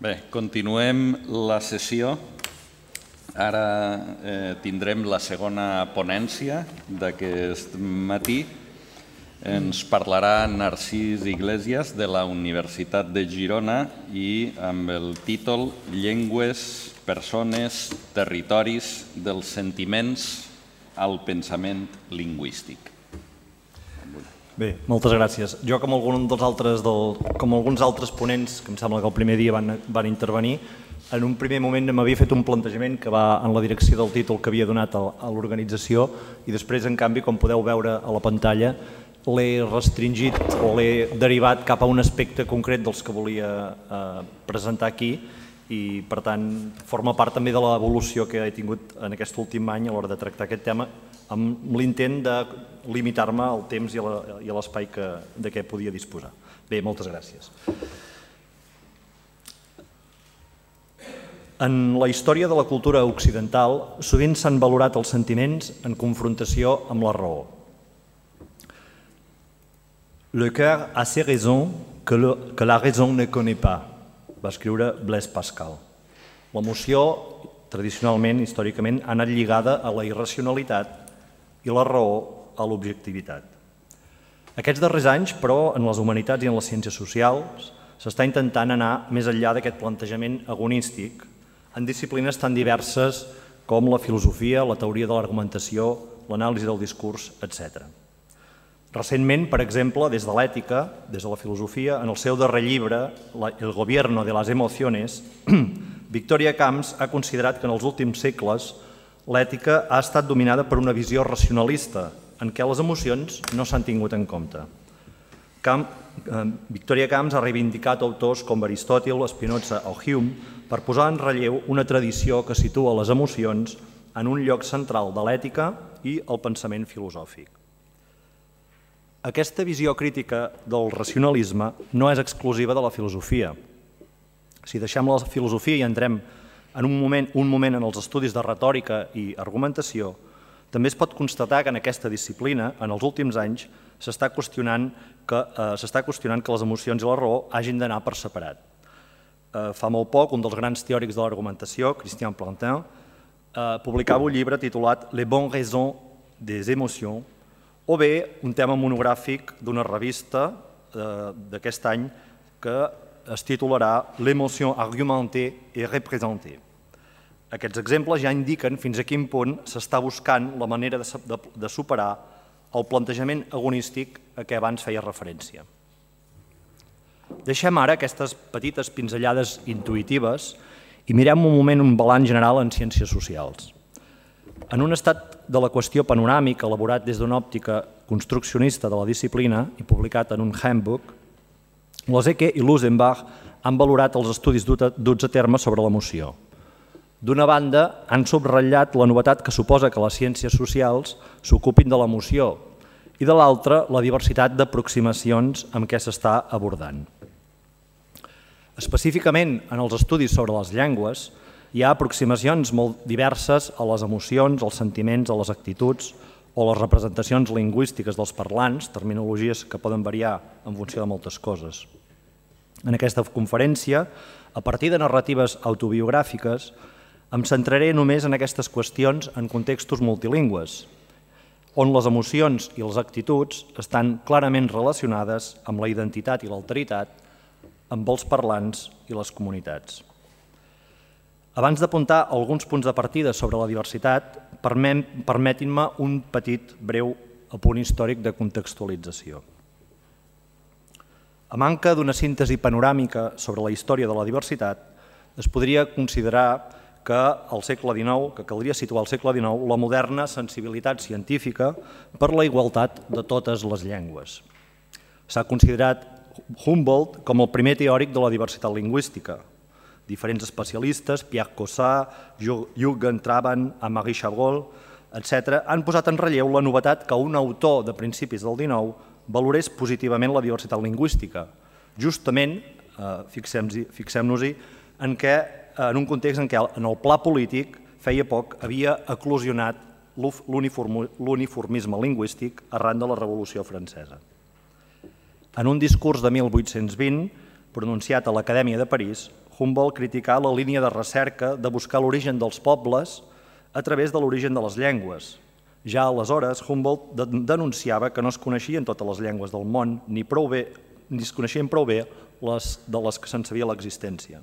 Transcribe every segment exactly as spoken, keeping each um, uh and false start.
Bé, continuem la sessió. Ara eh, tindrem la segona ponència d'aquest matí. Ens parlarà Narcís Iglesias de la Universitat de Girona i amb el títol Llengües, persones, territoris dels sentiments al pensament lingüístic. Bé, moltes gràcies. Jo, com, dels altres del, com alguns altres ponents, que em sembla que el primer dia van, van intervenir, en un primer moment m'havia fet un plantejament que va en la direcció del títol que havia donat a l'organització i després, en canvi, com podeu veure a la pantalla, l'he restringit o l'he derivat cap a un aspecte concret dels que volia eh, presentar aquí i, per tant, forma part també de l'evolució que he tingut en aquest últim any a l'hora de tractar aquest tema amb l'intent de limitar-me al temps i a l'espai de què podia disposar. Bé, moltes gràcies. En la història de la cultura occidental sovint s'han valorat els sentiments en confrontació amb la raó. Le cœur a ses raisons que, le, que la raison ne connaît pas, va escriure Blaise Pascal. L'emoció, tradicionalment, històricament, ha anat lligada a la irracionalitat i la raó a l'objectivitat. Aquests darrers anys, però, en les humanitats i en les ciències socials, s'està intentant anar més enllà d'aquest plantejament agonístic en disciplines tan diverses com la filosofia, la teoria de l'argumentació, l'anàlisi del discurs, etcètera. Recentment, per exemple, des de l'ètica, des de la filosofia, en el seu darrer llibre, El gobierno de las emociones, Victoria Camps ha considerat que en els últims segles l'ètica ha estat dominada per una visió racionalista, en què les emocions no s'han tingut en compte. Victoria Camps ha reivindicat autors com Aristòtil, Spinoza o Hume per posar en relleu una tradició que situa les emocions en un lloc central de l'ètica i el pensament filosòfic. Aquesta visió crítica del racionalisme no és exclusiva de la filosofia. Si deixem la filosofia i entrem en un moment, un moment en els estudis de retòrica i argumentació, també es pot constatar que en aquesta disciplina, en els últims anys, s'està qüestionant que, eh, s'està qüestionant que les emocions i la raó hagin d'anar per separat. Eh, fa molt poc, un dels grans teòrics de l'argumentació, Christian Plantin, eh, publicava un llibre titulat Les bonnes raisons des émotions, o bé un tema monogràfic d'una revista eh, d'aquest any que es titularà L'émotion argumentée et représentée. Aquests exemples ja indiquen fins a quin punt s'està buscant la manera de, de, de superar el plantejament agonístic a què abans feia referència. Deixem ara aquestes petites pinzellades intuïtives i mirem un moment un balanç general en ciències socials. En un estat de la qüestió panoràmic elaborat des d'una òptica construccionista de la disciplina i publicat en un handbook, Lozeke i Lusenbach han valorat els estudis duts a terme sobre l'emoció. D'una banda, han subratllat la novetat que suposa que les ciències socials s'ocupin de l'emoció i de l'altra, la diversitat d'aproximacions amb què s'està abordant. Específicament, en els estudis sobre les llengües, hi ha aproximacions molt diverses a les emocions, als sentiments, a les actituds o les representacions lingüístiques dels parlants, terminologies que poden variar en funció de moltes coses. En aquesta conferència, a partir de narratives autobiogràfiques, em centraré només en aquestes qüestions en contextos multilingües, on les emocions i les actituds estan clarament relacionades amb la identitat i l'alteritat, amb els parlants i les comunitats. Abans d'apuntar alguns punts de partida sobre la diversitat, permetin-me un petit, breu apunt històric de contextualització. A manca d'una síntesi panoràmica sobre la història de la diversitat, es podria considerar que al segle dinou, que caldria situar al segle dinou, la moderna sensibilitat científica per la igualtat de totes les llengües. S'ha considerat Humboldt com el primer teòric de la diversitat lingüística. Diferents especialistes, Pierre Cossat, Jürgen Traban, Amaury Chabrol, etcètera, han posat en relleu la novetat que un autor de principis del dinou valorés positivament la diversitat lingüística, justament, fixem-nos-hi, en què en un context en què en el pla polític feia poc havia eclosionat l'uniformisme lingüístic arran de la Revolució Francesa. En un discurs de mil vuit-cents vint, pronunciat a l'Acadèmia de París, Humboldt criticà la línia de recerca de buscar l'origen dels pobles a través de l'origen de les llengües. Ja aleshores, Humboldt denunciava que no es coneixien totes les llengües del món, ni, prou bé, ni es coneixien prou bé les de les que se'n sabia l'existència.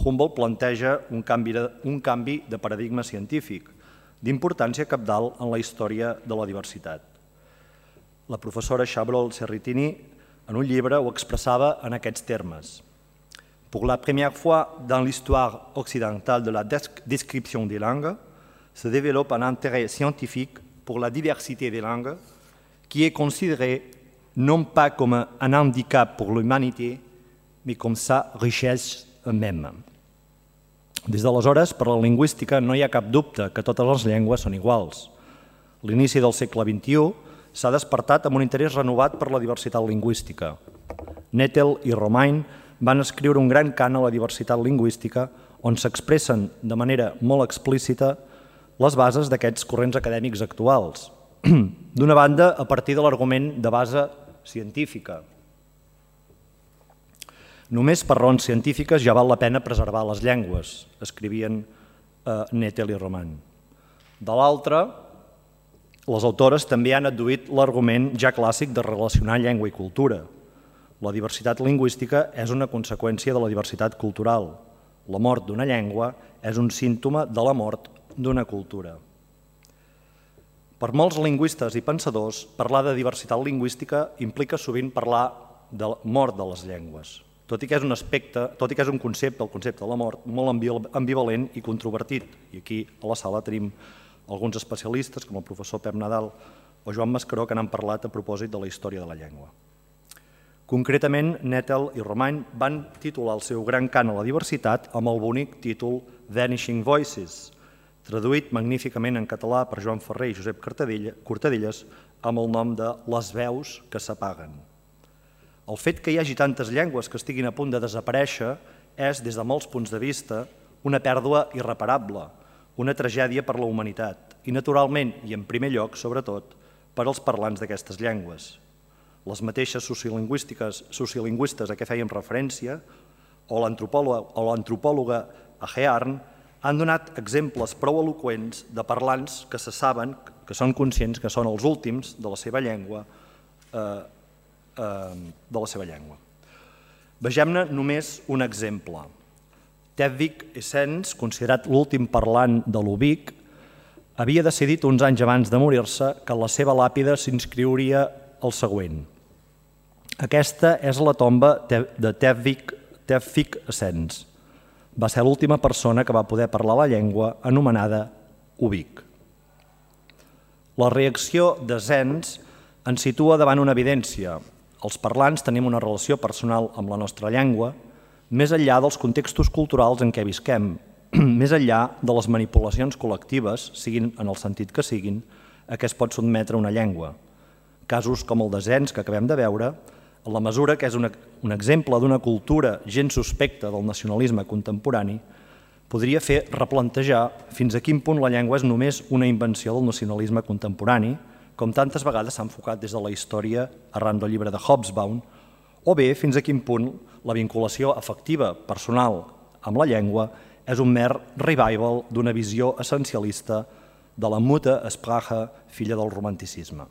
Humboldt planteja un canvi, de, un canvi de paradigma científic, d'importància cabdal en la història de la diversitat. La professora Chabrol Serritini, en un llibre, ho expressava en aquests termes. Pour la première fois dans l'histoire occidentale de la description des langues, se développe un intérêt scientifique pour la diversité des langues qui est considérée non pas comme un handicap pour l'humanité, mais comme sa richesse même. Des d'aleshores, per la lingüística no hi ha cap dubte que totes les llengües són iguals. L'inici del segle vint-i-u s'ha despertat amb un interès renovat per la diversitat lingüística. Nettel i Romain van escriure un gran cant a la diversitat lingüística on s'expressen de manera molt explícita les bases d'aquests corrents acadèmics actuals. D'una banda, a partir de l'argument de base científica. Només per raons científiques ja val la pena preservar les llengües, escrivien Nettel i Romain. De l'altra, les autores també han adduït l'argument ja clàssic de relacionar llengua i cultura. La diversitat lingüística és una conseqüència de la diversitat cultural. La mort d'una llengua és un símptoma de la mort d'una cultura. Per molts lingüistes i pensadors, parlar de diversitat lingüística implica sovint parlar de la mort de les llengües, tot i que és un aspecte, tot i que és un concepte, el concepte de la mort, molt ambivalent i controvertit. I aquí a la sala tenim alguns especialistes, com el professor Pep Nadal o Joan Mascaró, que n'han parlat a propòsit de la història de la llengua. Concretament, Nettel i Romain van titular el seu gran cant a la diversitat amb el bonic títol Vanishing Voices, traduït magníficament en català per Joan Ferrer i Josep Cortadelles amb el nom de Les veus que s'apaguen. El fet que hi hagi tantes llengües que estiguin a punt de desaparèixer és, des de molts punts de vista, una pèrdua irreparable, una tragèdia per la humanitat i, naturalment, i en primer lloc, sobretot, per als parlants d'aquestes llengües. Les mateixes sociolingüistes a què fèiem referència o l'antropòloga Ahearn han donat exemples prou eloqüents de parlants que se saben, que són conscients que són els últims de la seva llengua, de la seva llengua. Vegem-ne només un exemple. Tevvik Essens, considerat l'últim parlant de l'Ubik, havia decidit uns anys abans de morir-se que la seva làpida s'inscriuria el següent. Aquesta és la tomba de Tevvik Essens. Va ser l'última persona que va poder parlar la llengua anomenada Ubik. La reacció d'Essens ens situa davant una evidència. Els parlants tenim una relació personal amb la nostra llengua, més enllà dels contextos culturals en què visquem, més enllà de les manipulacions col·lectives, siguin en el sentit que siguin, a què es pot sotmetre una llengua. Casos com el d'Essens que acabem de veure, en la mesura que és un exemple d'una cultura gens suspecta del nacionalisme contemporani, podria fer replantejar fins a quin punt la llengua és només una invenció del nacionalisme contemporani, com tantes vegades s'ha enfocat des de la història arran del llibre de Hobsbawm, o bé fins a quin punt la vinculació afectiva, personal, amb la llengua és un mer revival d'una visió essencialista de la Mutter Sprache, filla del romanticisme.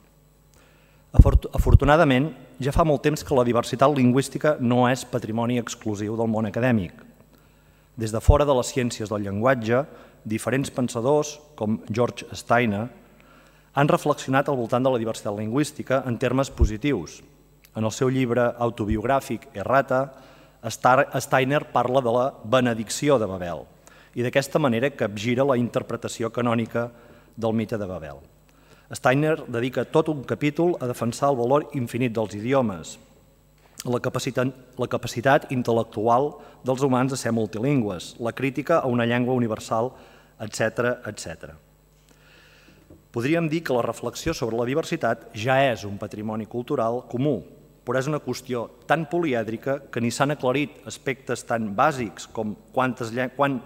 Afortunadament, ja fa molt temps que la diversitat lingüística no és patrimoni exclusiu del món acadèmic. Des de fora de les ciències del llenguatge, diferents pensadors, com George Steiner, han reflexionat al voltant de la diversitat lingüística en termes positius. En el seu llibre autobiogràfic Errata, Steiner parla de la benedicció de Babel i d'aquesta manera capgira la interpretació canònica del mite de Babel. Steiner dedica tot un capítol a defensar el valor infinit dels idiomes, la capacitat, la capacitat intel·lectual dels humans de ser multilingües, la crítica a una llengua universal, etcètera, etcètera. Podríem dir que la reflexió sobre la diversitat ja és un patrimoni cultural comú, però és una qüestió tan polièdrica que ni s'han aclarit aspectes tan bàsics com quantes, quan,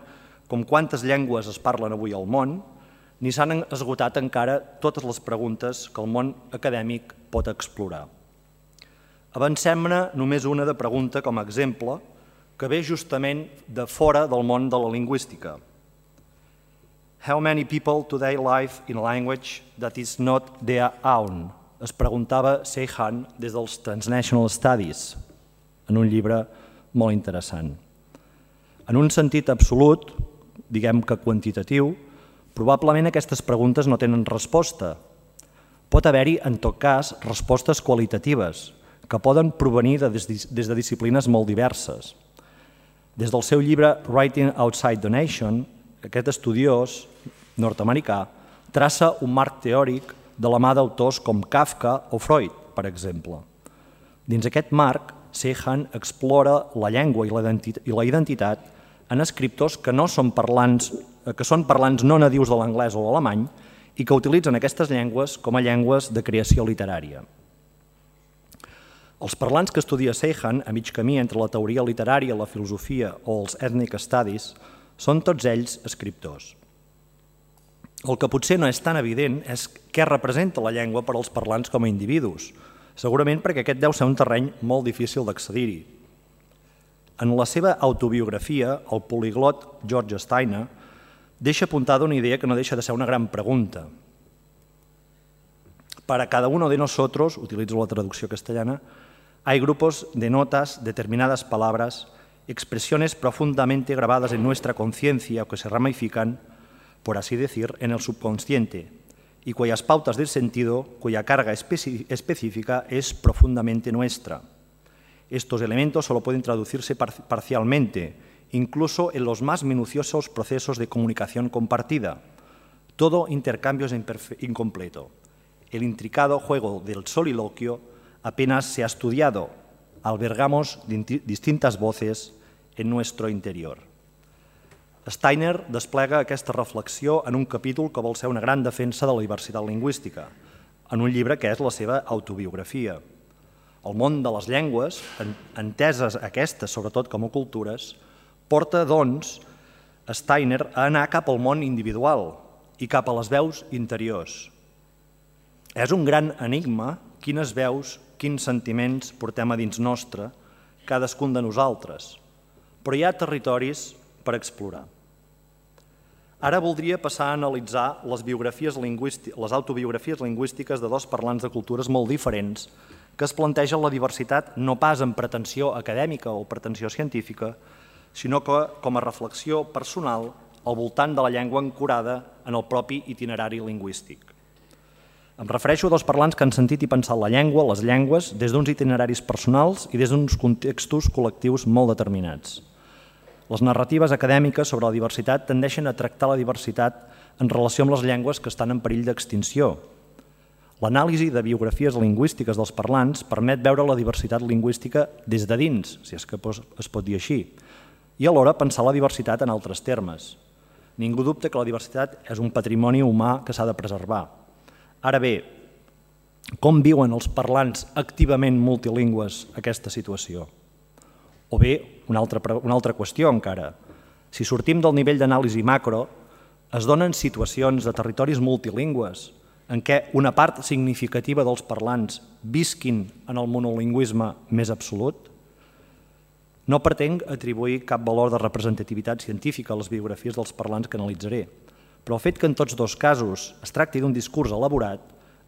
com quantes llengües es parlen avui al món, ni s'han esgotat encara totes les preguntes que el món acadèmic pot explorar. Avancem-ne només una de pregunta com a exemple, que ve justament de fora del món de la lingüística. How many people today live in a language that is not their own? Es preguntava Seyhan des dels Transnational Studies, en un llibre molt interessant. En un sentit absolut, diguem que quantitatiu, probablement aquestes preguntes no tenen resposta. Pot haver-hi, en tot cas, respostes qualitatives, que poden provenir de, des de disciplines molt diverses. Des del seu llibre Writing Outside the Nation, aquest estudiós nord-americà traça un marc teòric de la mà d'autors com Kafka o Freud, per exemple. Dins aquest marc, Seyhan explora la llengua i la identitat en escriptors que, no són, parlants, que són parlants no nadius de l'anglès o l'alemany i que utilitzen aquestes llengües com a llengües de creació literària. Els parlants que estudia Seyhan, a mig camí entre la teoria literària, la filosofia o els ethnic studies, són tots ells escriptors. El que potser no és tan evident és què representa la llengua per als parlants com a individus, segurament perquè aquest deu ser un terreny molt difícil d'accedir-hi. En la seva autobiografia, el poliglot George Steiner deixa apuntada una idea que no deixa de ser una gran pregunta. Para cada uno de nosotros, utilitzo la traducció castellana, hay grupos de notas, determinadas palabras, expresiones profundamente grabadas en nuestra conciencia o que se ramifican, por así decir, en el subconsciente, y cuyas pautas del sentido, cuya carga específica es profundamente nuestra. Estos elementos solo pueden traducirse parcialmente, incluso en los más minuciosos procesos de comunicación compartida. Todo intercambio es incompleto. El intricado juego del soliloquio apenas se ha estudiado. Albergamos distintas voces en nuestro interior. Steiner desplega aquesta reflexió en un capítol que vol ser una gran defensa de la diversitat lingüística, en un llibre que és la seva autobiografia. El món de les llengües, enteses aquestes sobretot com a cultures, porta, doncs, Steiner a anar cap al món individual i cap a les veus interiors. És un gran enigma quines veus, quins sentiments portem a dins nostre, cadascun de nosaltres, però hi ha territoris per explorar. Ara voldria passar a analitzar les, biografies les autobiografies lingüístiques de dos parlants de cultures molt diferents que es plantegen la diversitat no pas en pretensió acadèmica o pretensió científica, sinó que com a reflexió personal al voltant de la llengua ancorada en el propi itinerari lingüístic. Em refereixo a dos parlants que han sentit i pensat la llengua, les llengües, des d'uns itineraris personals i des d'uns contextos col·lectius molt determinats. Les narratives acadèmiques sobre la diversitat tendeixen a tractar la diversitat en relació amb les llengües que estan en perill d'extinció. L'anàlisi de biografies lingüístiques dels parlants permet veure la diversitat lingüística des de dins, si és que es pot dir així, i alhora pensar la diversitat en altres termes. Ningú dubta que la diversitat és un patrimoni humà que s'ha de preservar. Ara bé, com viuen els parlants activament multilingües aquesta situació? O bé, una altra, una altra qüestió encara. Si sortim del nivell d'anàlisi macro, es donen situacions de territoris multilingües en què una part significativa dels parlants visquin en el monolingüisme més absolut? No pretenc atribuir cap valor de representativitat científica a les biografies dels parlants que analitzaré, però el fet que en tots dos casos es tracti d'un discurs elaborat,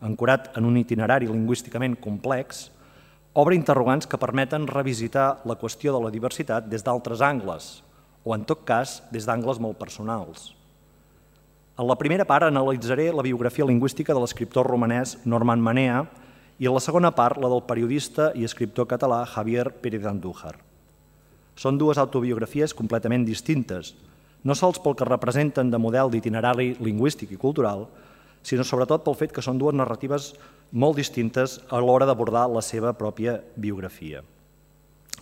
ancorat en un itinerari lingüísticament complex, obre interrogants que permeten revisitar la qüestió de la diversitat des d'altres angles, o en tot cas des d'angles molt personals. En la primera part analitzaré la biografia lingüística de l'escriptor romanès Norman Manea i en la segona part la del periodista i escriptor català Javier Pérez d'Andújar. Són dues autobiografies completament distintes, no sols pel que representen de model d'itinerari lingüístic i cultural, sinó sobretot pel fet que són dues narratives molt distintes a l'hora d'abordar la seva pròpia biografia.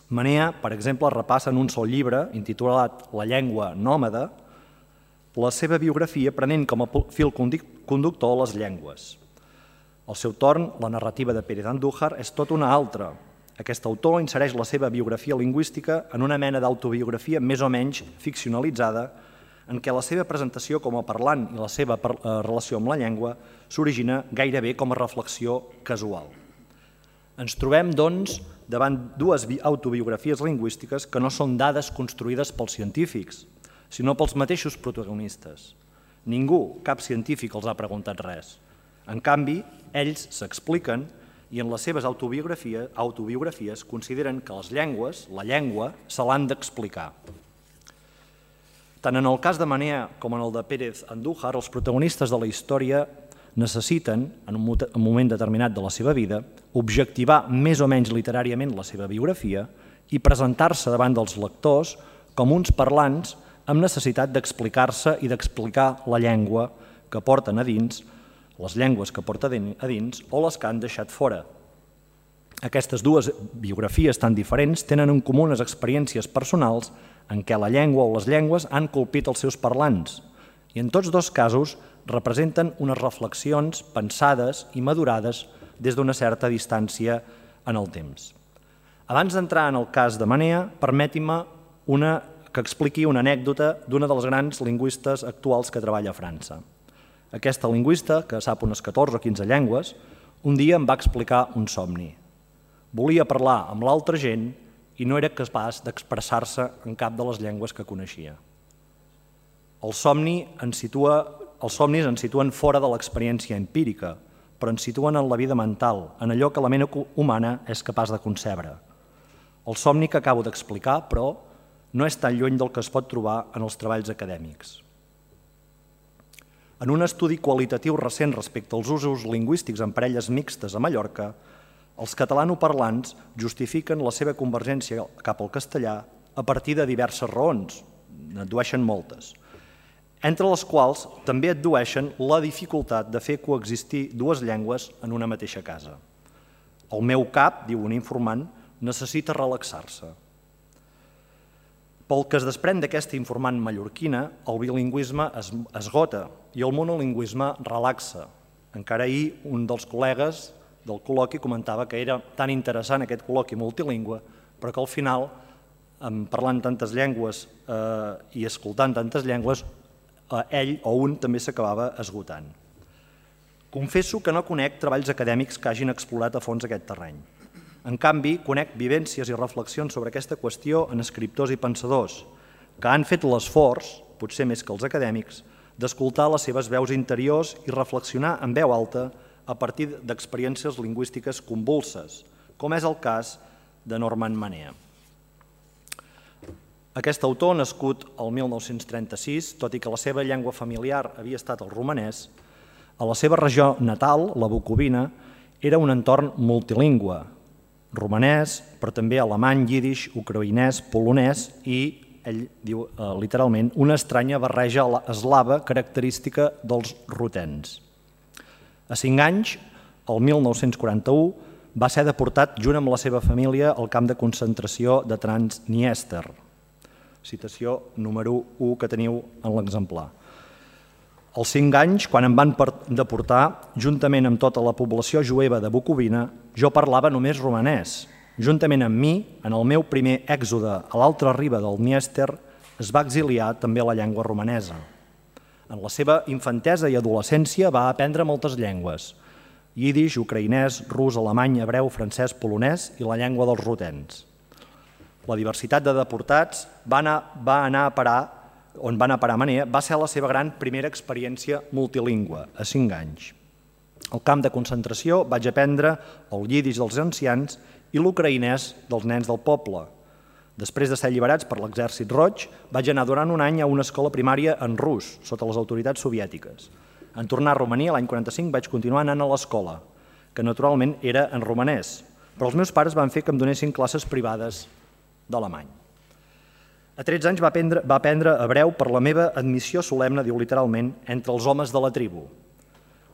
Manea, per exemple, repassa en un sol llibre, intitulat La llengua nòmada, la seva biografia prenent com a fil conductor les llengües. Al seu torn, la narrativa de Pérez d'Andújar és tot una altra. Aquest autor insereix la seva biografia lingüística en una mena d'autobiografia més o menys ficcionalitzada en què la seva presentació com a parlant i la seva relació amb la llengua s'origina gairebé com a reflexió casual. Ens trobem, doncs, davant dues autobiografies lingüístiques que no són dades construïdes pels científics, sinó pels mateixos protagonistes. Ningú, cap científic, els ha preguntat res. En canvi, ells s'expliquen i en les seves autobiografies, autobiografies consideren que les llengües, la llengua, se l'han d'explicar. Tant en el cas de Manea com en el de Pérez Andújar, els protagonistes de la història necessiten, en un moment determinat de la seva vida, objectivar més o menys literàriament la seva biografia i presentar-se davant dels lectors com uns parlants amb necessitat d'explicar-se i d'explicar la llengua que porten a dins, les llengües que porten a dins o les que han deixat fora. Aquestes dues biografies tan diferents tenen en comú unes experiències personals en què la llengua o les llengües han colpit els seus parlants i en tots dos casos representen unes reflexions pensades i madurades des d'una certa distància en el temps. Abans d'entrar en el cas de Manea, permeti-me una, que expliqui una anècdota d'una dels grans lingüistes actuals que treballa a França. Aquesta lingüista, que sap unes catorze o quinze llengües, un dia em va explicar un somni. Volia parlar amb l'altra gent i no era capaç d'expressar-se en cap de les llengües que coneixia. El somni ens situa, els somnis ens situen fora de l'experiència empírica, però ens situen en la vida mental, en allò que la ment humana és capaç de concebre. El somni que acabo d'explicar, però, no és tan lluny del que es pot trobar en els treballs acadèmics. En un estudi qualitatiu recent respecte als usos lingüístics en parelles mixtes a Mallorca, els catalanoparlants justifiquen la seva convergència cap al castellà a partir de diverses raons, n'addueixen moltes, entre les quals també addueixen la dificultat de fer coexistir dues llengües en una mateixa casa. El meu cap, diu un informant, necessita relaxar-se. Pel que es desprèn d'aquesta informant mallorquina, el bilingüisme es esgota i el monolingüisme relaxa. Encara ahir un dels col·legues del col·loqui comentava que era tan interessant aquest col·loqui multilingüe, però que al final, parlant tantes llengües i escoltant tantes llengües, ell o un també s'acabava esgotant. Confesso que no conec treballs acadèmics que hagin explorat a fons aquest terreny. En canvi, conec vivències i reflexions sobre aquesta qüestió en escriptors i pensadors que han fet l'esforç, potser més que els acadèmics, d'escoltar les seves veus interiors i reflexionar en veu alta a partir d'experiències lingüístiques convulses, com és el cas de Norman Manea. Aquest autor, nascut el mil nou-cents trenta-sis, tot i que la seva llengua familiar havia estat el romanès, a la seva regió natal, la Bucovina, era un entorn multilingüe, romanès, però també alemany, yiddish, ucraïnès, polonès i, ell diu literalment, una estranya barreja eslava característica dels rutens. A cinc anys, el mil nou-cents quaranta-u, va ser deportat junt amb la seva família al camp de concentració de Transniester, citació número u que teniu en l'exemplar. Als cinc anys, quan em van deportar, juntament amb tota la població jueva de Bucovina, jo parlava només romanès. Juntament amb mi, en el meu primer èxode a l'altra riba del Dniester, es va exiliar també la llengua romanesa. En la seva infantesa i adolescència va aprendre moltes llengües: yiddish, ucraïnès, rus, alemany, hebreu, francès, polonès i la llengua dels rutens. La diversitat de deportats va anar, va anar a parar, on va anar a parar Manea, va ser la seva gran primera experiència multilingüe, a cinc anys. Al camp de concentració vaig aprendre el yiddish dels ancians i l'ucraïnès dels nens del poble. Després de ser alliberats per l'Exèrcit Roig, vaig anar durant un any a una escola primària en rus, sota les autoritats soviètiques. En tornar a Romania, l'any quaranta-cinc, vaig continuar anant a l'escola, que naturalment era en romanès, però els meus pares van fer que em donessin classes privades d'alemany. A tretze anys va aprendre, va aprendre hebreu per la meva admissió solemne, diu literalment, entre els homes de la tribu.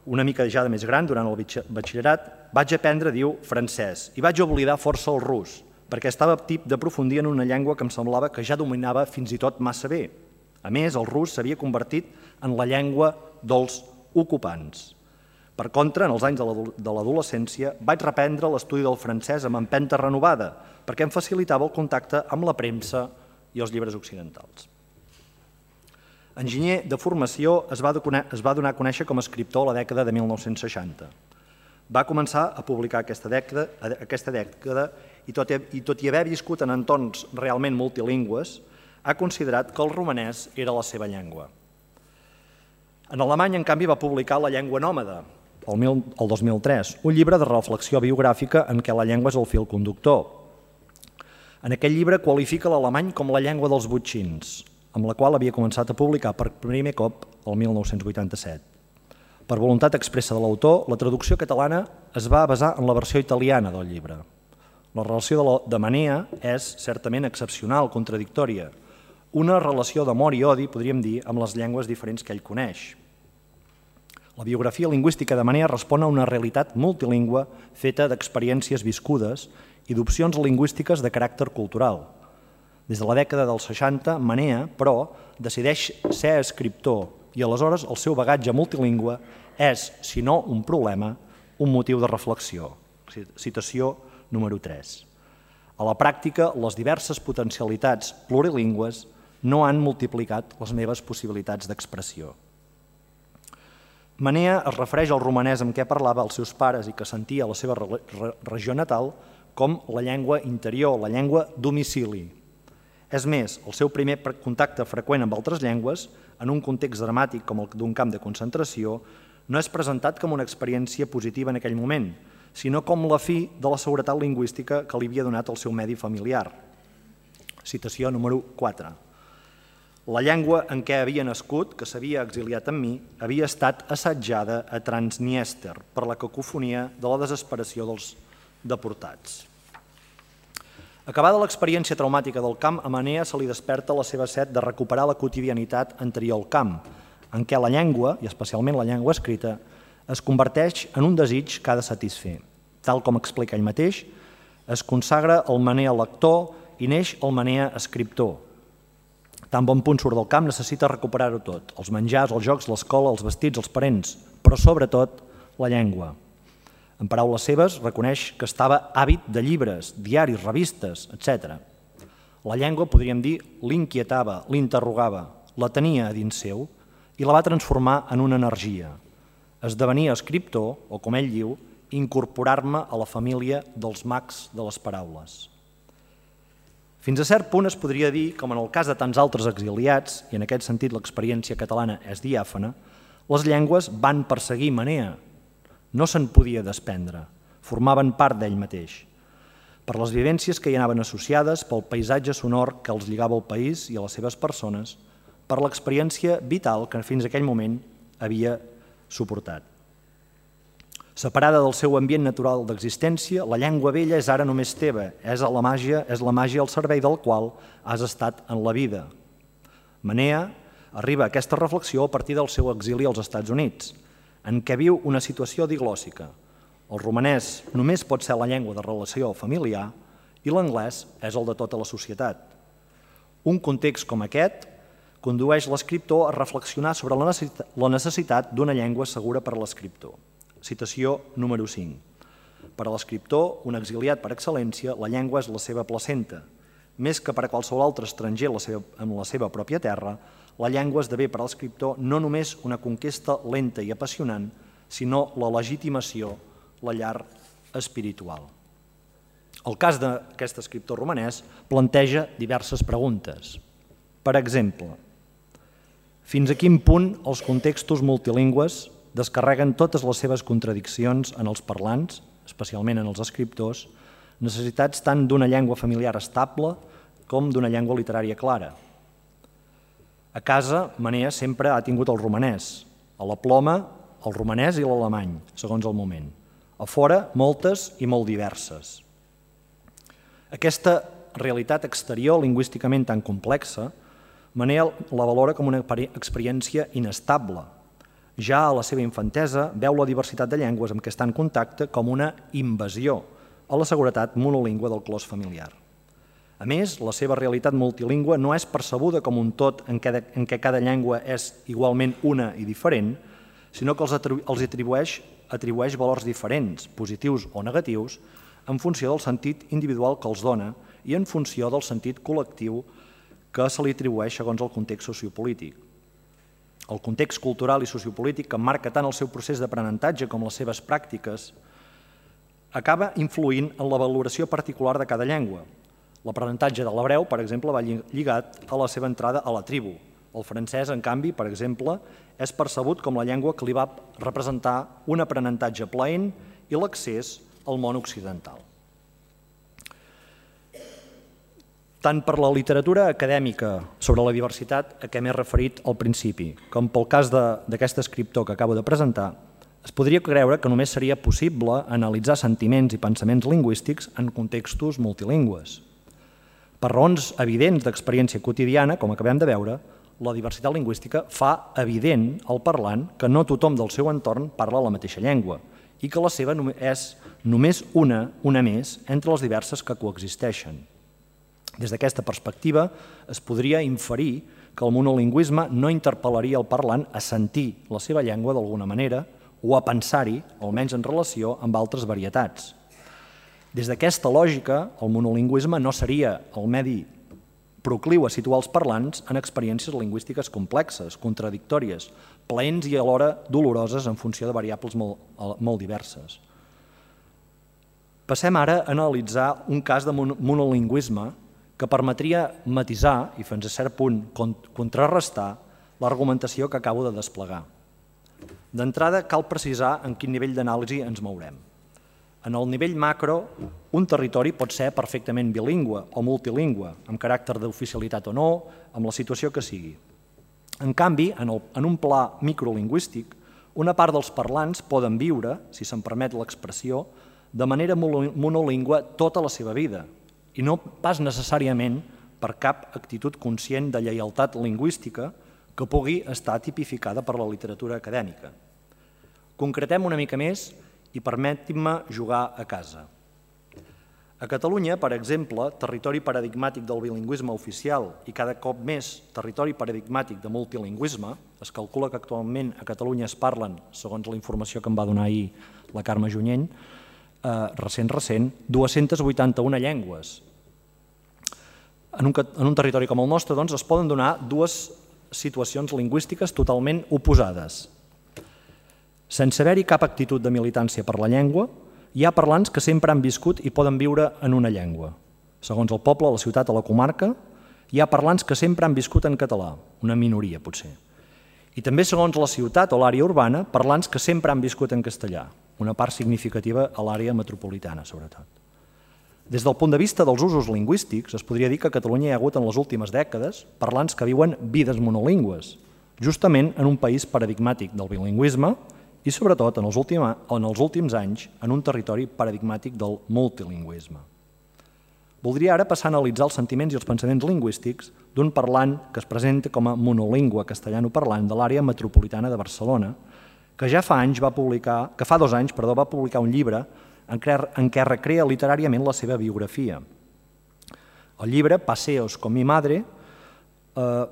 Una mica ja de més gran, durant el batxillerat, vaig aprendre, diu, francès, i vaig oblidar força el rus, perquè estava tip d'aprofundir en una llengua que em semblava que ja dominava fins i tot massa bé. A més, el rus s'havia convertit en la llengua dels ocupants. Per contra, en els anys de l'adolescència, vaig reprendre l'estudi del francès amb empenta renovada, perquè em facilitava el contacte amb la premsa i els llibres occidentals. Enginyer de formació, es va donar a conèixer com a escriptor a la dècada de mil nou-cents seixanta. Va començar a publicar aquesta dècada, aquesta dècada i, tot i, i tot i haver viscut en entorns realment multilingües, ha considerat que el romanès era la seva llengua. En alemany, en canvi, va publicar La llengua nòmada, el, mil, el dos mil tres, un llibre de reflexió biogràfica en què la llengua és el fil conductor. En aquell llibre qualifica l'alemany com la llengua dels botxins, amb la qual havia començat a publicar per primer cop el mil nou-cents vuitanta-set. Per voluntat expressa de l'autor, la traducció catalana es va basar en la versió italiana del llibre. La relació de, la, de Manea és certament excepcional, contradictòria, una relació d'amor i odi, podríem dir, amb les llengües diferents que ell coneix. La biografia lingüística de Manea respon a una realitat multilingüe feta d'experiències viscudes i d'opcions lingüístiques de caràcter cultural. Des de la dècada dels seixanta, Manea, però, decideix ser escriptor i aleshores el seu bagatge multilingüe és, si no un problema, un motiu de reflexió. Citació número tres. A la pràctica, les diverses potencialitats plurilingües no han multiplicat les meves possibilitats d'expressió. Manea es refereix al romanès amb què parlava els seus pares i que sentia a la seva regió natal com la llengua interior, la llengua domicili. És més, el seu primer contacte freqüent amb altres llengües, en un context dramàtic com el d'un camp de concentració, no és presentat com una experiència positiva en aquell moment, sinó com la fi de la seguretat lingüística que li havia donat el seu medi familiar. Citació número quatre. La llengua en què havia nascut, que s'havia exiliat amb mi, havia estat assetjada a Transniester per la cacofonia de la desesperació dels deportats. Acabada l'experiència traumàtica del camp, a Manea se li desperta la seva set de recuperar la quotidianitat anterior al camp, en què la llengua, i especialment la llengua escrita, es converteix en un desig que ha de satisfer. Tal com explica ell mateix, es consagra el Manea lector i neix el Manea escriptor. Tan bon punt surt del camp necessita recuperar-ho tot, els menjars, els jocs, l'escola, els vestits, els parents, però sobretot la llengua. En paraules seves, reconeix que estava àvid de llibres, diaris, revistes, etcètera. La llengua, podríem dir, l'inquietava, l'interrogava, la tenia a dins seu i la va transformar en una energia. Esdevenia escriptor, o com ell diu, incorporar-me a la família dels mags de les paraules. Fins a cert punt es podria dir, com en el cas de tants altres exiliats, i en aquest sentit l'experiència catalana és diàfana, les llengües van perseguir Manea, no se'n podia desprendre, formaven part d'ell mateix. Per les vivències que hi anaven associades, pel paisatge sonor que els lligava al país i a les seves persones, per l'experiència vital que fins a aquell moment havia suportat. Separada del seu ambient natural d'existència, la llengua vella és ara només teva, és la màgia, és la màgia al servei del qual has estat en la vida. Manea arriba a aquesta reflexió a partir del seu exili als Estats Units, en què viu una situació diglòssica. El romanès només pot ser la llengua de relació familiar i l'anglès és el de tota la societat. Un context com aquest condueix l'escriptor a reflexionar sobre la necessitat d'una llengua segura per a l'escriptor. Citació número cinc. Per a l'escriptor, un exiliat per excel·lència, la llengua és la seva placenta. Més que per a qualsevol altre estranger en la seva pròpia terra, la llengua esdevé per a l'escriptor no només una conquesta lenta i apassionant, sinó la legitimació, la llar espiritual. El cas d'aquest escriptor romanès planteja diverses preguntes. Per exemple, fins a quin punt els contextos multilingües descarreguen totes les seves contradiccions en els parlants, especialment en els escriptors, necessitats tant d'una llengua familiar estable com d'una llengua literària clara. A casa, Manea sempre ha tingut el romanès, a la ploma, el romanès i l'alemany, segons el moment. A fora, moltes i molt diverses. Aquesta realitat exterior lingüísticament tan complexa, Manea la valora com una experiència inestable. Ja a la seva infantesa veu la diversitat de llengües amb què està en contacte com una invasió a la seguretat monolingüe del clos familiar. A més, la seva realitat multilingüe no és percebuda com un tot en què cada llengua és igualment una i diferent, sinó que els atribueix, atribueix valors diferents, positius o negatius, en funció del sentit individual que els dona i en funció del sentit col·lectiu que se li atribueix segons el context sociopolític. El context cultural i sociopolític que marca tant el seu procés d'aprenentatge com les seves pràctiques acaba influint en la valoració particular de cada llengua. L'aprenentatge de l'hebreu, per exemple, va lligat a la seva entrada a la tribu. El francès, en canvi, per exemple, és percebut com la llengua que li va representar un aprenentatge plaent i l'accés al món occidental. Tant per la literatura acadèmica sobre la diversitat a què m'he referit al principi, com pel cas d'aquest escriptor que acabo de presentar, es podria creure que només seria possible analitzar sentiments i pensaments lingüístics en contextos multilingües. Per raons evidents d'experiència quotidiana, com acabem de veure, la diversitat lingüística fa evident al parlant que no tothom del seu entorn parla la mateixa llengua i que la seva és només una, una més, entre les diverses que coexisteixen. Des d'aquesta perspectiva, es podria inferir que el monolingüisme no interpel·laria el parlant a sentir la seva llengua d'alguna manera o a pensar-hi, almenys en relació amb altres varietats. Des d'aquesta lògica, el monolingüisme no seria el medi procliu a situar els parlants en experiències lingüístiques complexes, contradictòries, plaents i alhora doloroses en funció de variables molt, molt diverses. Passem ara a analitzar un cas de monolingüisme que permetria matisar i fins a cert punt contrarrestar l'argumentació que acabo de desplegar. D'entrada, cal precisar en quin nivell d'anàlisi ens mourem. En el nivell macro, un territori pot ser perfectament bilingüe o multilingüe, amb caràcter d'oficialitat o no, amb la situació que sigui. En canvi, en, el, en un pla microlingüístic, una part dels parlants poden viure, si se'n permet l'expressió, de manera monolingüe tota la seva vida, i no pas necessàriament per cap actitud conscient de lleialtat lingüística que pugui estar tipificada per la literatura acadèmica. Concretem una mica més i permetin-me jugar a casa. A Catalunya, per exemple, territori paradigmàtic del bilingüisme oficial i cada cop més territori paradigmàtic de multilingüisme, es calcula que actualment a Catalunya es parlen, segons la informació que em va donar ahir la Carme Junyent, eh, recent, recent, dues-centes vuitanta-una llengües. En un, en un territori com el nostre, doncs, es poden donar dues situacions lingüístiques totalment oposades. Sense haver-hi cap actitud de militància per la llengua, hi ha parlants que sempre han viscut i poden viure en una llengua. Segons el poble, la ciutat o la comarca, hi ha parlants que sempre han viscut en català, una minoria potser. I també segons la ciutat o l'àrea urbana, parlants que sempre han viscut en castellà, una part significativa a l'àrea metropolitana, sobretot. Des del punt de vista dels usos lingüístics, es podria dir que a Catalunya hi ha hagut en les últimes dècades parlants que viuen vides monolingües, justament en un país paradigmàtic del bilingüisme i sobretot en els, últim, en els últims anys en un territori paradigmàtic del multilingüisme. Voldria ara passar a analitzar els sentiments i els pensaments lingüístics d'un parlant que es presenta com a monolingüe castellanoparlant de l'àrea metropolitana de Barcelona, que ja fa anys va publicar, que fa dos anys perdó, va publicar un llibre en què recrea literàriament la seva biografia. El llibre, Paseos con mi madre, eh,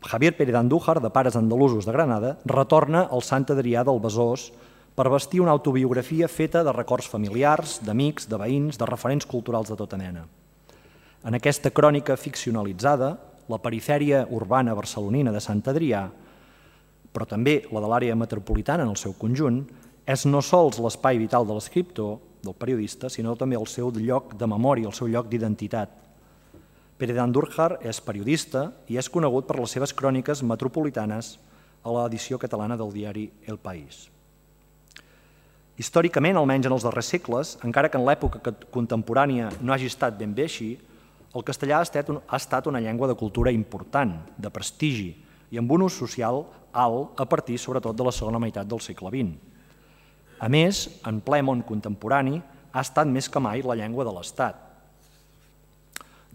Javier Pérez Andújar, de pares andalusos de Granada, retorna al Sant Adrià del Besòs per vestir una autobiografia feta de records familiars, d'amics, de veïns, de referents culturals de tota mena. En aquesta crònica ficcionalitzada, la perifèria urbana barcelonina de Sant Adrià, però també la de l'àrea metropolitana en el seu conjunt, és no sols l'espai vital de l'escriptor, del periodista, sinó també el seu lloc de memòria, el seu lloc d'identitat. Pérez Andújar és periodista i és conegut per les seves cròniques metropolitanes a l'edició catalana del diari El País. Històricament, almenys en els darrers segles, encara que en l'època contemporània no hagi estat ben bé així, el castellà ha estat una llengua de cultura important, de prestigi i amb un ús social alt a partir, sobretot, de la segona meitat del segle vint. A més, en ple món contemporani, ha estat més que mai la llengua de l'Estat.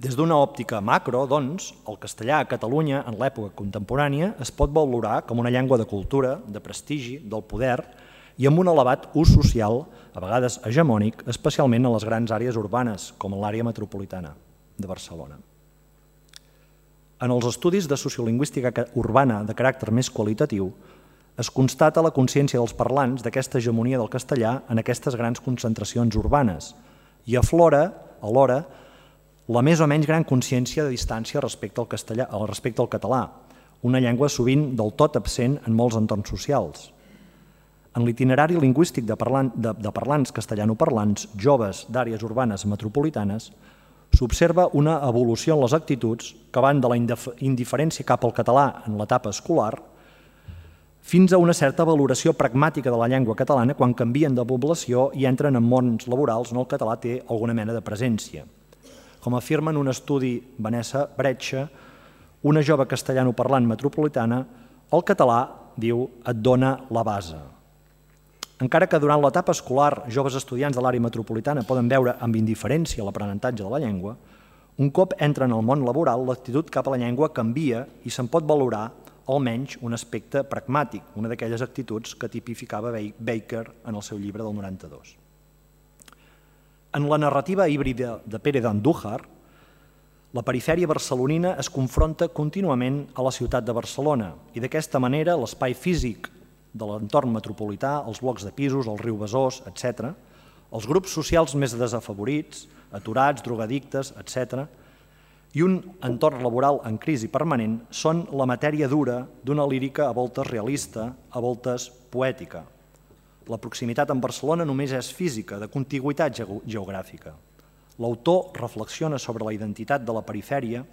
Des d'una òptica macro, doncs, el castellà a Catalunya, en l'època contemporània, es pot valorar com una llengua de cultura, de prestigi, del poder i amb un elevat ús social, a vegades hegemònic, especialment en les grans àrees urbanes, com l'àrea metropolitana de Barcelona. En els estudis de sociolingüística urbana de caràcter més qualitatiu, es constata la consciència dels parlants d'aquesta hegemonia del castellà en aquestes grans concentracions urbanes i aflora, alhora, la més o menys gran consciència de distància respecte al castellà, respecte al català, una llengua sovint del tot absent en molts entorns socials. En l'itinerari lingüístic de, parlant, de, de parlants castellanoparlants joves d'àrees urbanes metropolitanes s'observa una evolució en les actituds que van de la indiferència cap al català en l'etapa escolar fins a una certa valoració pragmàtica de la llengua catalana quan canvien de població i entren en mons laborals on el català té alguna mena de presència. Com afirma en un estudi Vanessa Bretxa, una jove castellanoparlant metropolitana, el català, diu, et dona la base. Encara que durant l'etapa escolar joves estudiants de l'àrea metropolitana poden veure amb indiferència l'aprenentatge de la llengua, un cop entren al món laboral, l'actitud cap a la llengua canvia i se'n pot valorar almenys un aspecte pragmàtic, una d'aquelles actituds que tipificava Baker en el seu llibre del noranta-dos. En la narrativa híbrida de Pérez d'Andújar, la perifèria barcelonina es confronta contínuament a la ciutat de Barcelona i d'aquesta manera l'espai físic de l'entorn metropolità, els blocs de pisos, el riu Besòs, etcètera, els grups socials més desafavorits, aturats, drogadictes, etcètera, i un entorn laboral en crisi permanent són la matèria dura d'una lírica a voltes realista, a voltes poètica. La proximitat amb Barcelona només és física, de contigüitat geogràfica. L'autor reflexiona sobre la identitat de la perifèria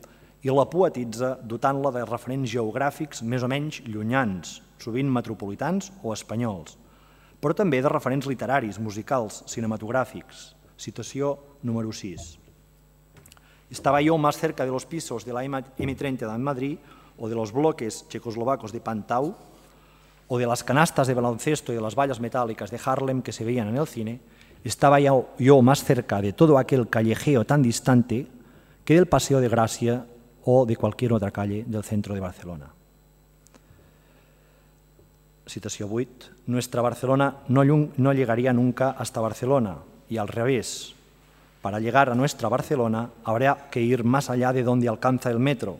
i la poetitza dotant-la de referents geogràfics més o menys llunyans, sovint metropolitans o espanyols, però també de referents literaris, musicals, cinematogràfics. Citació número sis. Estaba yo más cerca de los pisos de la eme treinta de Madrid o de los bloques checoslovacos de Pantau o de las canastas de baloncesto y de las vallas metálicas de Harlem que se veían en el cine, estaba yo, yo más cerca de todo aquel callejeo tan distante que del Paseo de Gracia o de cualquier otra calle del centro de Barcelona. Citació vuit. Nuestra Barcelona no, no llegaría nunca hasta Barcelona y al revés. Para llegar a nuestra Barcelona habrá que ir más allá de donde alcanza el metro.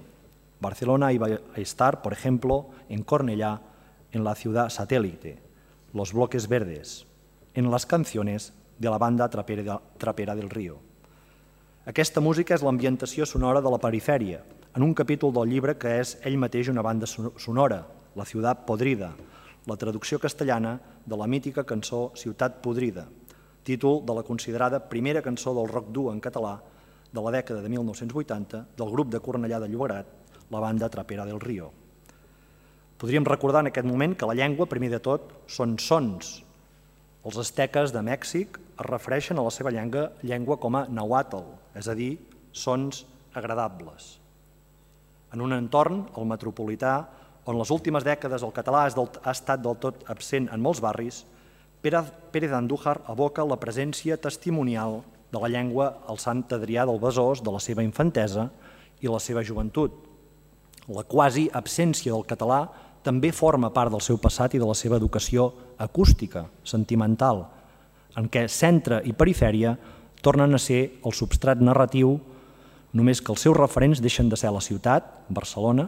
Barcelona iba a estar, por ejemplo, en Cornellá, en la ciudad satélite, los bloques verdes, en las canciones de la banda trapera, trapera del Río. Aquesta música és l'ambientació sonora de la perifèria, en un capítol del llibre que és ell mateix una banda sonora, La ciutat podrida, la traducció castellana de la mítica cançó Ciutat podrida, títol de la considerada primera cançó del rock dur en català de la dècada de mil nou-cents vuitanta del grup de Cornellà de Llobregat, la banda Trapera del Río. Podríem recordar en aquest moment que la llengua, primer de tot, són sons. Els asteques de Mèxic es refereixen a la seva llengua, llengua com a nàhuatl, és a dir, sons agradables. En un entorn, el metropolità, on les últimes dècades el català ha estat del tot absent en molts barris, Pérez d'Andújar evoca la presència testimonial de la llengua al Sant Adrià del Besòs de la seva infantesa i la seva joventut. La quasi absència del català també forma part del seu passat i de la seva educació acústica, sentimental, en què centre i perifèria tornen a ser el substrat narratiu, només que els seus referents deixen de ser la ciutat, Barcelona,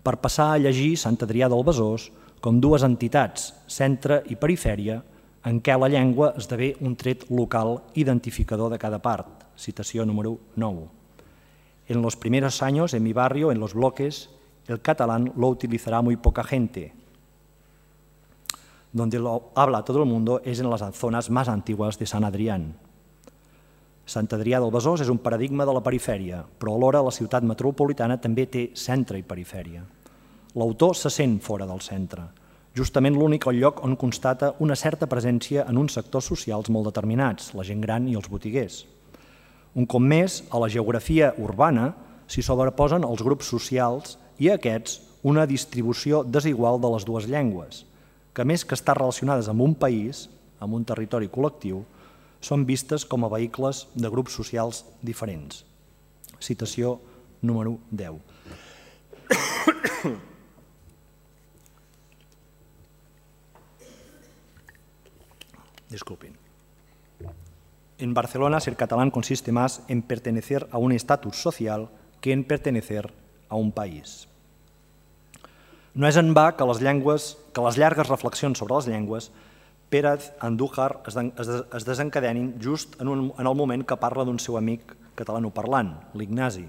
per passar a llegir Sant Adrià del Besòs com dues entitats, centre i perifèria, en què la llengua esdevé un tret local identificador de cada part. Citació número nou. En los primeros años, en mi barrio, en los bloques, el catalán lo utilizará muy poca gente. Donde lo habla todo el mundo es en las zonas más antiguas de Sant Adrián. Sant Adrià del Besòs és un paradigma de la perifèria, però alhora la ciutat metropolitana també té centre i perifèria. L'autor se sent fora del centre, justament l'únic lloc on constata una certa presència en uns sectors socials molt determinats, la gent gran i els botiguers. Un cop més, a la geografia urbana s'hi sobreposen els grups socials i a aquests una distribució desigual de les dues llengües, que més que estar relacionades amb un país, amb un territori col·lectiu, són vistes com a vehicles de grups socials diferents. Citació número deu. Disculpin. En Barcelona, ser catalán consiste más en pertenecer a un estatus social que en pertenecer a un país. No és en va que les, llengües, que les llargues reflexions sobre les llengües Pérez Andújar es desencadenin just en, un, en el moment que parla d'un seu amic catalanoparlant, l'Ignasi.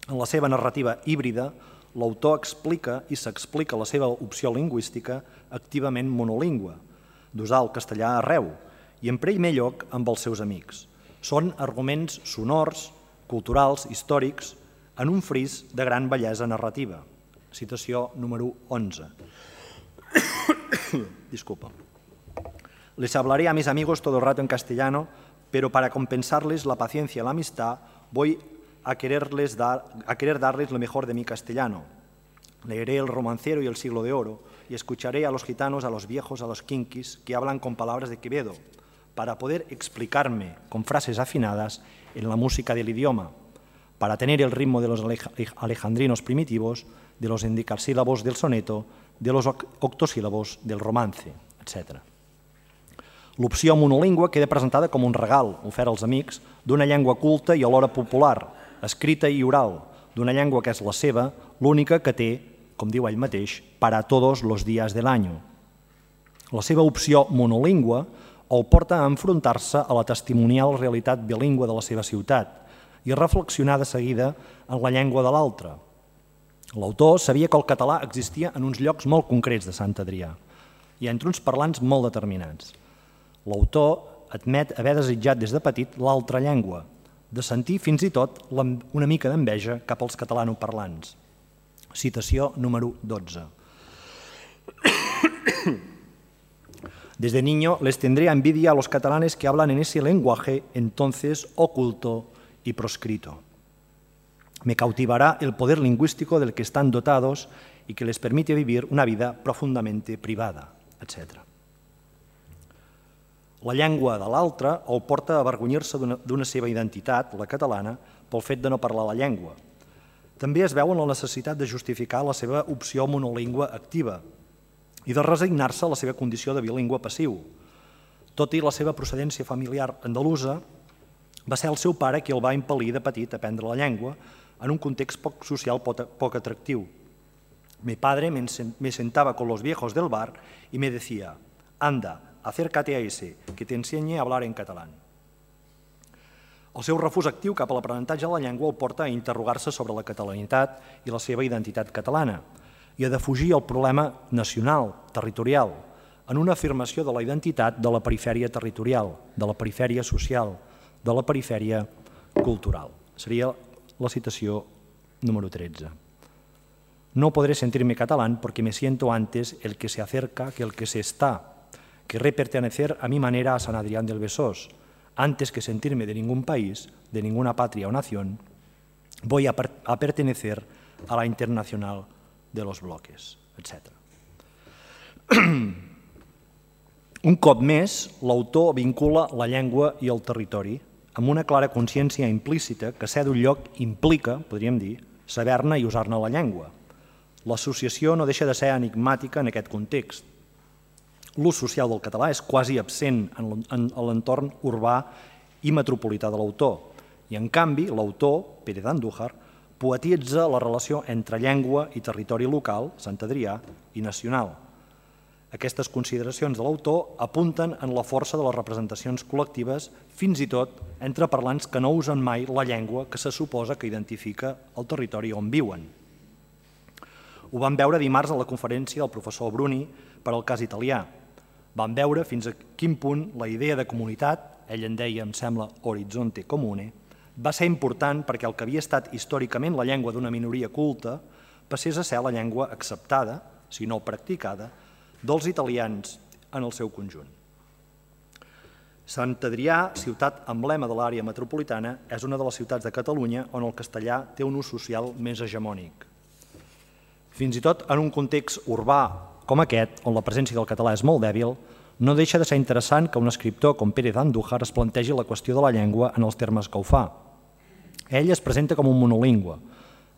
En la seva narrativa híbrida, l'autor explica i s'explica la seva opció lingüística activament monolingüe, d'usar el castellà arreu i en primer lloc amb els seus amics. Són arguments sonors, culturals, històrics, en un fris de gran bellesa narrativa. Citació número onze. Disculpa. Les hablaré a mis amigos todo el rato en castellano, pero para compensarles la paciencia y la amistad voy a, quererles dar, a querer darles lo mejor de mi castellano. Leeré El Romancero y El Siglo de Oro y escucharé a los gitanos, a los viejos, a los kinkis que hablan con palabras de Quevedo, para poder explicarme con frases afinadas en la música del idioma, para tener el ritmo de los alejandrinos primitivos, de los endecasílabos del soneto, de los octosílabos del romance, etcètera. L'opció monolingüe queda presentada com un regal ofert als amics d'una llengua culta i alhora popular, escrita i oral, d'una llengua que és la seva, l'única que té, com diu ell mateix, para todos los días del año. La seva opció monolingüe el porta a enfrontar-se a la testimonial realitat bilingüe de la seva ciutat i a reflexionar de seguida en la llengua de l'altre. L'autor sabia que el català existia en uns llocs molt concrets de Sant Adrià i entre uns parlants molt determinats. L'autor admet haver desitjat des de petit l'altra llengua, de sentir fins i tot una mica d'enveja cap als catalanoparlants. Citació número dotze. Desde niño les tendría envidia a los catalanes que hablan en ese lenguaje entonces oculto y proscrito. Me cautivará el poder lingüístico del que están dotados y que les permite vivir una vida profundamente privada, etcètera. La llengua de l'altre el porta a avergonyir-se d'una seva identitat, la catalana, pel fet de no parlar la llengua. També es veu en la necessitat de justificar la seva opció monolingüe activa i de resignar-se a la seva condició de bilingüe passiu. Tot i la seva procedència familiar andalusa, va ser el seu pare qui el va impel·lir de petit a aprendre la llengua en un context poc social poc atractiu. Mi padre me sentaba con los viejos del bar y me decía, anda, acércate a ese, que te enseñe a hablar en catalán. El seu refús actiu cap a l'aprenentatge de la llengua el porta a interrogar-se sobre la catalanitat i la seva identitat catalana i a defugir el problema nacional, territorial, en una afirmació de la identitat de la perifèria territorial, de la perifèria social, de la perifèria cultural. Seria la citació número tretze. No podré sentirme catalán porque me siento antes el que se acerca que el que se está. Querré pertenecer a mi manera a San Adrián del Besós. Antes que sentirme de ningún país, de ninguna patria o nación, voy a, per a pertenecer a la internacional de los bloques, etcètera. Un cop més, l'autor vincula la llengua i el territori amb una clara consciència implícita que ser d'un lloc implica, podríem dir, saber-ne i usar-ne la llengua. L'associació no deixa de ser enigmàtica en aquest context. L'ús social del català és quasi absent en l'entorn urbà i metropolità de l'autor i, en canvi, l'autor, Pérez d'Andújar, poetitza la relació entre llengua i territori local, Sant Adrià, i nacional. Aquestes consideracions de l'autor apunten en la força de les representacions col·lectives, fins i tot entre parlants que no usen mai la llengua que se suposa que identifica el territori on viuen. Ho vam veure dimarts a la conferència del professor Bruni per al cas italià. Vam veure fins a quin punt la idea de comunitat, ell en deia, em sembla, horizonte comune, va ser important perquè el que havia estat històricament la llengua d'una minoria culta passés a ser la llengua acceptada, si no practicada, dels italians en el seu conjunt. Sant Adrià, ciutat emblema de l'àrea metropolitana, és una de les ciutats de Catalunya on el castellà té un ús social més hegemònic. Fins i tot en un context urbà com aquest, on la presència del català és molt dèbil, no deixa de ser interessant que un escriptor com Pérez d'Andújar es plantegi la qüestió de la llengua en els termes que ho fa. Ell es presenta com un monolingüe.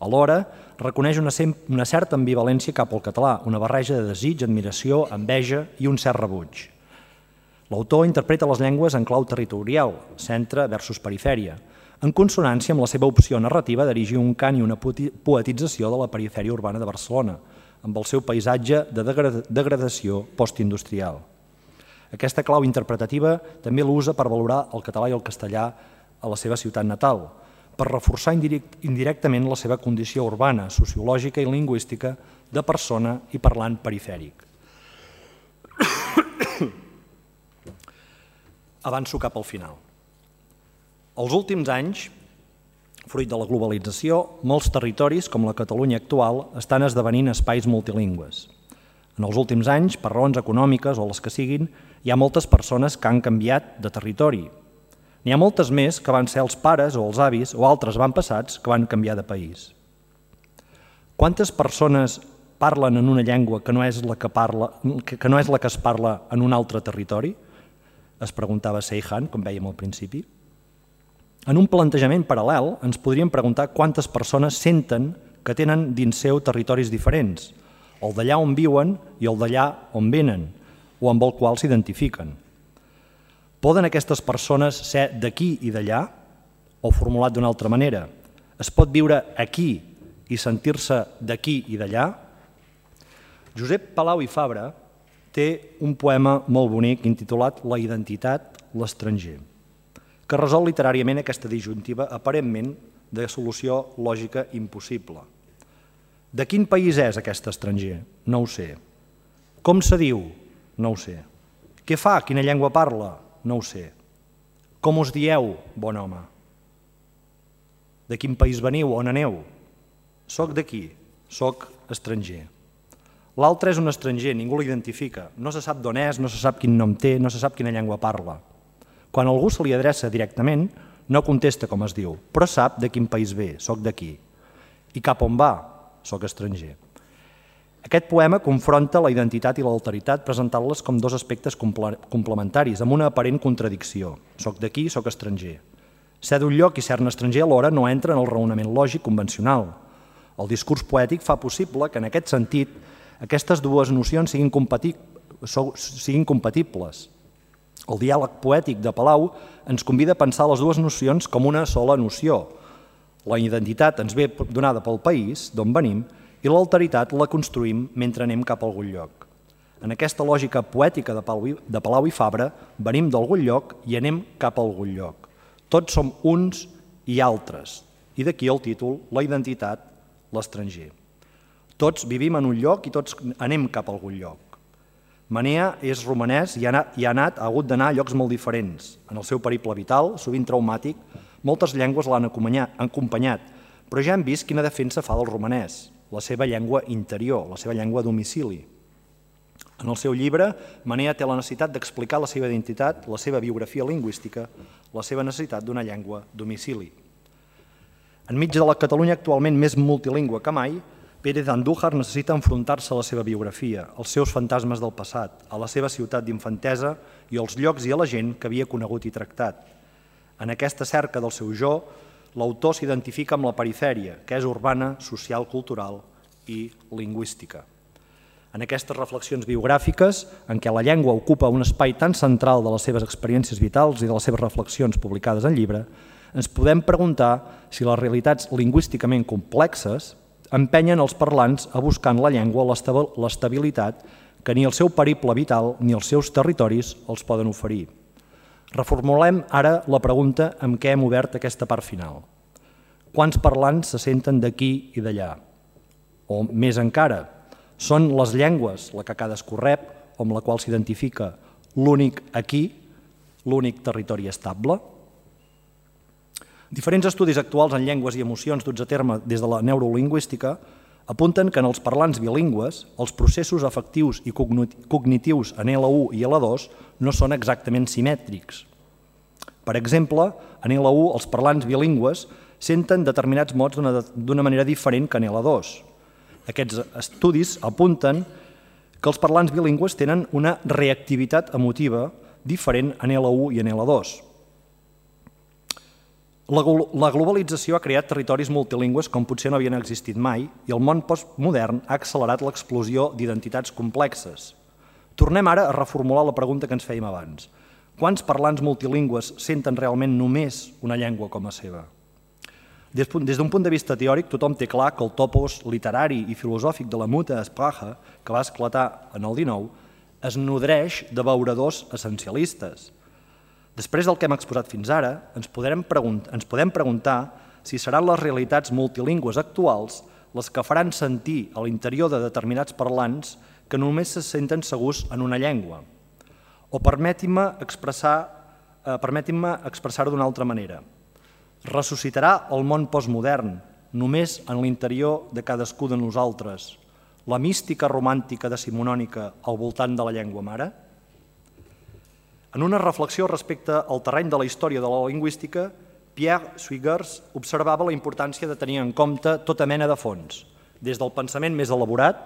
Alhora, reconeix una certa ambivalència cap al català, una barreja de desig, admiració, enveja i un cert rebuig. L'autor interpreta les llengües en clau territorial, centre versus perifèria, en consonància amb la seva opció narrativa d'erigir un cant i una poetització de la perifèria urbana de Barcelona, amb el seu paisatge de degradació postindustrial. Aquesta clau interpretativa també l'usa per valorar el català i el castellà a la seva ciutat natal, per reforçar indirectament la seva condició urbana, sociològica i lingüística de persona i parlant perifèric. Avanço cap al final. Els últims anys, fruit de la globalització, molts territoris, com la Catalunya actual, estan esdevenint espais multilingües. En els últims anys, per raons econòmiques o les que siguin, hi ha moltes persones que han canviat de territori. N'hi ha moltes més que van ser els pares o els avis o altres avantpassats que van canviar de país. Quantes persones parlen en una llengua que no és la que, parla, que no és la que es parla en un altre territori? Es preguntava Seyhan, com vèiem al principi. En un plantejament paral·lel ens podríem preguntar quantes persones senten que tenen dins seu territoris diferents, el d'allà on viuen i el d'allà on venen, o amb el qual s'identifiquen. Poden aquestes persones ser d'aquí i d'allà? O formulat d'una altra manera, es pot viure aquí i sentir-se d'aquí i d'allà? Josep Palau i Fabra té un poema molt bonic intitulat La identitat, l'estranger, que resol literàriament aquesta disjuntiva aparentment de solució lògica impossible. De quin país és aquest estranger? No ho sé. Com se diu? No ho sé. Què fa? Quina llengua parla? No ho sé. Com us dieu, bon home? De quin país veniu? On aneu? Soc d'aquí, soc estranger. L'altre és un estranger, ningú l'identifica, no se sap d'on és, no se sap quin nom té, no se sap quina llengua parla. Quan algú se li adreça directament, no contesta com es diu, però sap de quin país ve, soc d'aquí. I cap on va, soc estranger. Aquest poema confronta la identitat i l'alteritat presentant-les com dos aspectes complementaris, amb una aparent contradicció. Soc d'aquí, soc estranger. Ser d'un lloc i ser-ne estranger alhora no entra en el raonament lògic convencional. El discurs poètic fa possible que en aquest sentit aquestes dues nocions siguin compatibles. El diàleg poètic de Palau ens convida a pensar les dues nocions com una sola noció. La identitat ens ve donada pel país d'on venim i l'alteritat la construïm mentre anem cap a algun lloc. En aquesta lògica poètica de Palau i Fabra venim d'algun lloc i anem cap a algun lloc. Tots som uns i altres, i d'aquí el títol La identitat, l'estranger. Tots vivim en un lloc i tots anem cap a algun lloc. Manea és romanès i ha anat, ha hagut d'anar a llocs molt diferents. En el seu periple vital, sovint traumàtic, moltes llengües l'han acompanyat, però ja hem vist quina defensa fa del romanès, la seva llengua interior, la seva llengua domicili. En el seu llibre, Manea té la necessitat d'explicar la seva identitat, la seva biografia lingüística, la seva necessitat d'una llengua domicili. Enmig de la Catalunya actualment més multilingüe que mai, Pérez Andújar necessita enfrontar-se a la seva biografia, als seus fantasmes del passat, a la seva ciutat d'infantesa i als llocs i a la gent que havia conegut i tractat. En aquesta cerca del seu jo, l'autor s'identifica amb la perifèria, que és urbana, social, cultural i lingüística. En aquestes reflexions biogràfiques, en què la llengua ocupa un espai tan central de les seves experiències vitals i de les seves reflexions publicades en llibre, ens podem preguntar si les realitats lingüísticament complexes empenyen els parlants a buscar en la llengua l'estabilitat que ni el seu periple vital ni els seus territoris els poden oferir. Reformulem ara la pregunta amb què hem obert aquesta part final. Quants parlants se senten d'aquí i d'allà? O més encara, són les llengües la que cadascú rep o amb la qual s'identifica l'únic aquí, l'únic territori estable? Diferents estudis actuals en llengües i emocions duts a terme des de la neurolingüística apunten que en els parlants bilingües els processos afectius i cognitius en L u i L dos no són exactament simètrics. Per exemple, en L u els parlants bilingües senten determinats mots d'una manera diferent que en L dos. Aquests estudis apunten que els parlants bilingües tenen una reactivitat emotiva diferent en L u i en L dos. La globalització ha creat territoris multilingües com potser no havien existit mai i el món postmodern ha accelerat l'explosió d'identitats complexes. Tornem ara a reformular la pregunta que ens fèiem abans. Quants parlants multilingües senten realment només una llengua com a seva? Des d'un punt de vista teòric, tothom té clar que el topos literari i filosòfic de la Muta Sprache, que va esclatar en el dinou, es nodreix de beuradors essencialistes. Després del que hem exposat fins ara, ens podem preguntar si seran les realitats multilingües actuals les que faran sentir a l'interior de determinats parlants que només se senten segurs en una llengua. O permetin-me expressar permetin-me expressar-ho d'una altra manera. Ressuscitarà el món postmodern només en l'interior de cadascú de nosaltres la mística romàntica decimonònica al voltant de la llengua mare? En una reflexió respecte al terreny de la història de la lingüística, Pierre Swigers observava la importància de tenir en compte tota mena de fons, des del pensament més elaborat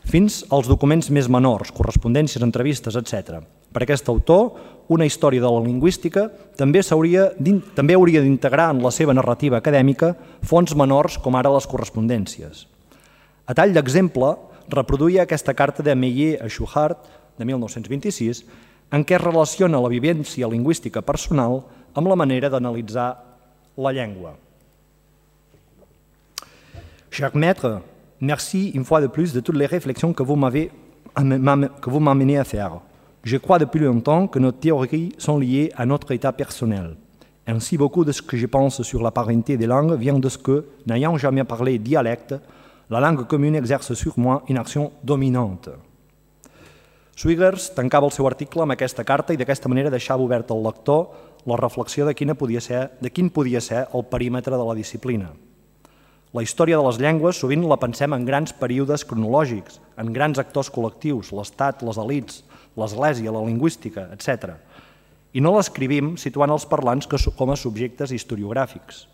fins als documents més menors, correspondències, entrevistes, etcètera. Per aquest autor, una història de la lingüística també també hauria d'integrar en la seva narrativa acadèmica fons menors com ara les correspondències. A tall d'exemple, reproduïa aquesta carta de Meillet a Schuhart, de mil nou-cents vint-i-sis, en què relaciona la vivència lingüística personal amb la manera d'analitzar la llengua. Cher maître, merci une fois de plus de toutes les réflexions que vous m'avez que vous m'amenez à faire. Je crois depuis longtemps que nos théories sont liées à notre état personnel. Ainsi, beaucoup de ce que je pense sur la parenté des langues vient de ce que, n'ayant jamais parlé dialecte, la langue commune exerce sur moi une action dominante. Swigers tancava el seu article amb aquesta carta i d'aquesta manera deixava obert al lector la reflexió de, quina podia ser, de quin podia ser el perímetre de la disciplina. La història de les llengües sovint la pensem en grans períodes cronològics, en grans actors col·lectius, l'estat, les elits, l'església, la lingüística, etcètera. I no l'escrivim situant els parlants com a subjectes historiogràfics.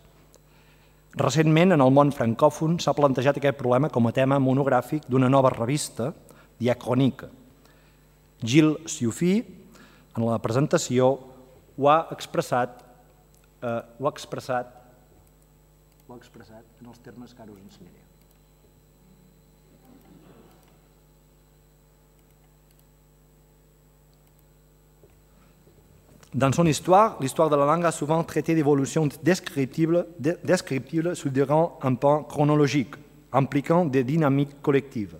Recentment, en el món francòfon, s'ha plantejat aquest problema com a tema monogràfic d'una nova revista, Diachronique. Gilles Ciuffy, en la presentació, ho ha expressat, eh, ho ha expressat, ho ha expressat en els termes que ara us ensenyaré. Dans son histoire, l'histoire de la langue a souvent traité d'évolutions descriptibles, descriptibles soulignant un pan chronologique, impliquant des dynamiques collectives.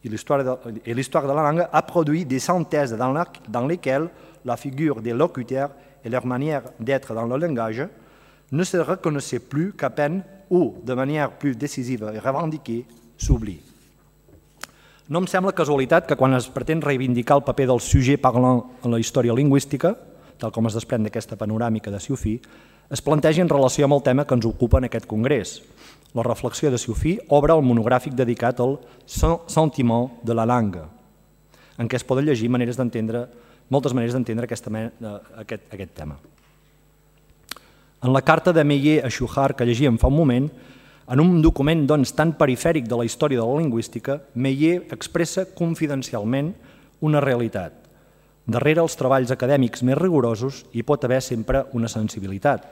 Et l'histoire de, et l'histoire de la langue a produit des synthèses dans, la, dans lesquelles la figure des locuteurs et leur manière d'être dans le langage ne se reconnaissaient plus qu'à peine ou, de manière plus décisive et revendiquée, s'oublient. No em sembla casualitat que quan es pretén reivindicar el paper del sujet parlant en la història lingüística, tal com es desprèn d'aquesta panoràmica de Ciuffy, es plantegi en relació amb el tema que ens ocupa en aquest congrés. La reflexió de Ciuffy obre el monogràfic dedicat al sentiment de la langue, en què es poden llegir maneres d'entendre, moltes maneres d'entendre aquest, aquest, aquest tema. En la carta de Meillet a Schuhart que llegíem fa un moment, en un document doncs, tan perifèric de la història de la lingüística, Meillet expressa confidencialment una realitat. Darrere els treballs acadèmics més rigorosos hi pot haver sempre una sensibilitat,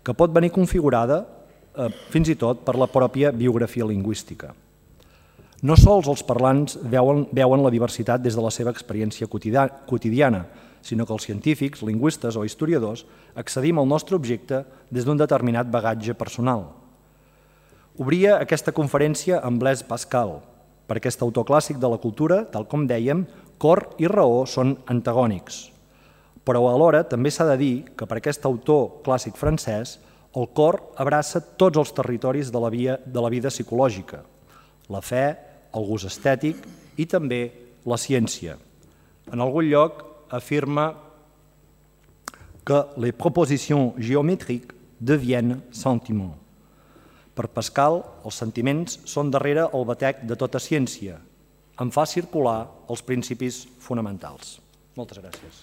que pot venir configurada eh, fins i tot per la pròpia biografia lingüística. No sols els parlants veuen, veuen la diversitat des de la seva experiència quotidiana, sinó que els científics, lingüistes o historiadors accedim al nostre objecte des d'un determinat bagatge personal. Obria aquesta conferència amb Blaise Pascal, per aquest autor clàssic de la cultura, tal com dèiem, cor i raó són antagònics. Però alhora també s'ha de dir que per aquest autor clàssic francès el cor abraça tots els territoris de la, via, de la vida psicològica, la fe, el gust estètic i també la ciència. En algun lloc afirma que les propositions géométriques deviennent sentiments. Per Pascal, els sentiments són darrere el batec de tota ciència, en fa circular els principis fonamentals. Moltes gràcies.